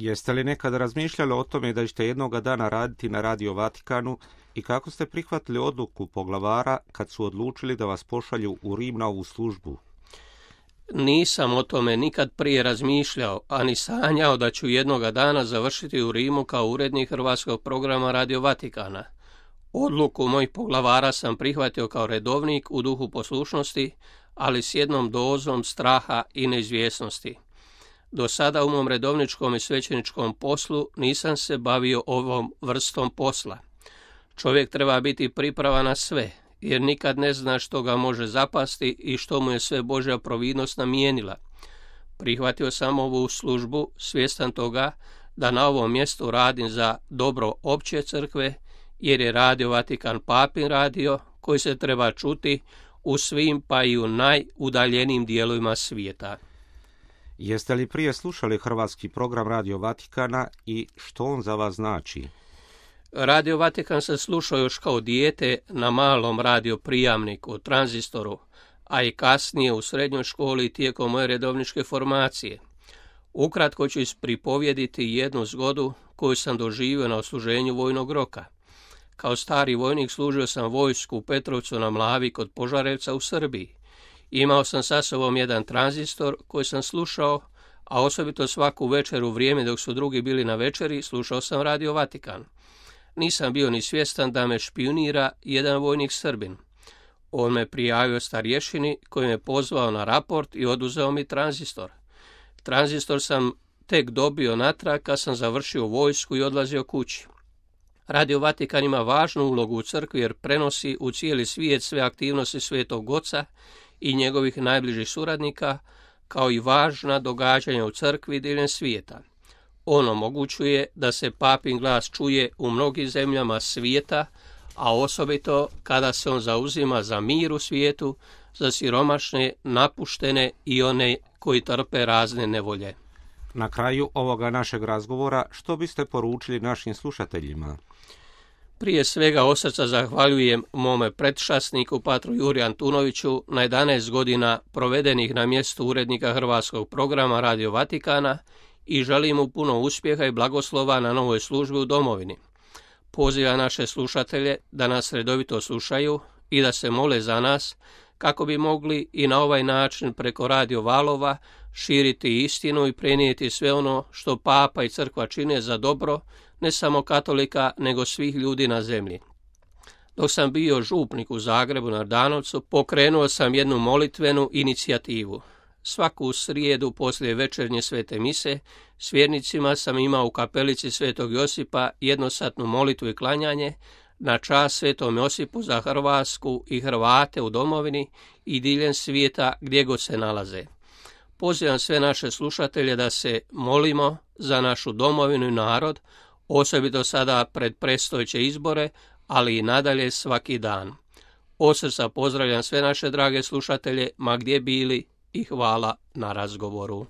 Jeste li nekada razmišljali o tome da ćete jednoga dana raditi na Radio Vatikanu i kako ste prihvatili odluku poglavara kad su odlučili da vas pošalju u Rim na ovu službu? Nisam o tome nikad prije razmišljao, ani sanjao da ću jednoga dana završiti u Rimu kao urednik hrvatskog programa Radio Vatikana. Odluku mojih poglavara sam prihvatio kao redovnik u duhu poslušnosti, ali s jednom dozom straha i neizvjesnosti. Do sada u mom redovničkom i svećeničkom poslu nisam se bavio ovom vrstom posla. Čovjek treba biti pripravan na sve, jer nikad ne zna što ga može zapasti i što mu je sve Božja providnost namijenila. Prihvatio sam ovu službu svjestan toga da na ovom mjestu radim za dobro opće crkve, jer je Radio Vatikan papin radio koji se treba čuti u svim pa i u najudaljenijim dijelovima svijeta. Jeste li prije slušali hrvatski program Radio Vatikana i što on za vas znači? Radio Vatikan sam slušao još kao dijete na malom radio prijamniku, tranzistoru, a i kasnije u srednjoj školi tijekom moje redovničke formacije. Ukratko ću ispripovjediti jednu zgodu koju sam doživio na odsluženju vojnog roka. Kao stari vojnik služio sam vojsku u Petrovcu na Mlavi kod Požarevca u Srbiji. Imao sam sa sobom jedan tranzistor koji sam slušao, a osobito svaku večer u vrijeme dok su drugi bili na večeri slušao sam Radio Vatikan. Nisam bio ni svjestan da me špijunira jedan vojnik Srbin. On me prijavio starješini koji me pozvao na raport i oduzeo mi tranzistor. Tranzistor sam tek dobio natrag kad sam završio vojsku i odlazio kući. Radio Vatikan ima važnu ulogu u crkvi jer prenosi u cijeli svijet sve aktivnosti Svetog Oca i njegovih najbližih suradnika, kao i važna događanja u crkvi diljem svijeta. On omogućuje da se papin glas čuje u mnogim zemljama svijeta, a osobito kada se on zauzima za mir u svijetu, za siromašne, napuštene i one koji trpe razne nevolje. Na kraju ovoga našeg razgovora, što biste poručili našim slušateljima? Prije svega od srca zahvaljujem mome predšasniku, patru Juri Antunoviću, na 11 godina provedenih na mjestu urednika hrvatskog programa Radio Vatikana i želim mu puno uspjeha i blagoslova na novoj službi u domovini. Pozivam naše slušatelje da nas redovito slušaju i da se mole za nas kako bi mogli i na ovaj način preko radio valova širiti istinu i prenijeti sve ono što Papa i Crkva čine za dobro ne samo katolika, nego svih ljudi na zemlji. Dok sam bio župnik u Zagrebu na Jordanovcu, pokrenuo sam jednu molitvenu inicijativu. Svaku srijedu poslije večernje svete mise s vjernicima sam imao u kapelici Svetog Josipa jednosatnu molitvu i klanjanje na čast Svetom Josipu za Hrvatsku i Hrvate u domovini i diljem svijeta gdje god se nalaze. Pozivam sve naše slušatelje da se molimo za našu domovinu i narod, osobito sada pred predstojeće izbore, ali i nadalje svaki dan. Od srca pozdravljam sve naše drage slušatelje, ma gdje bili, i hvala na razgovoru.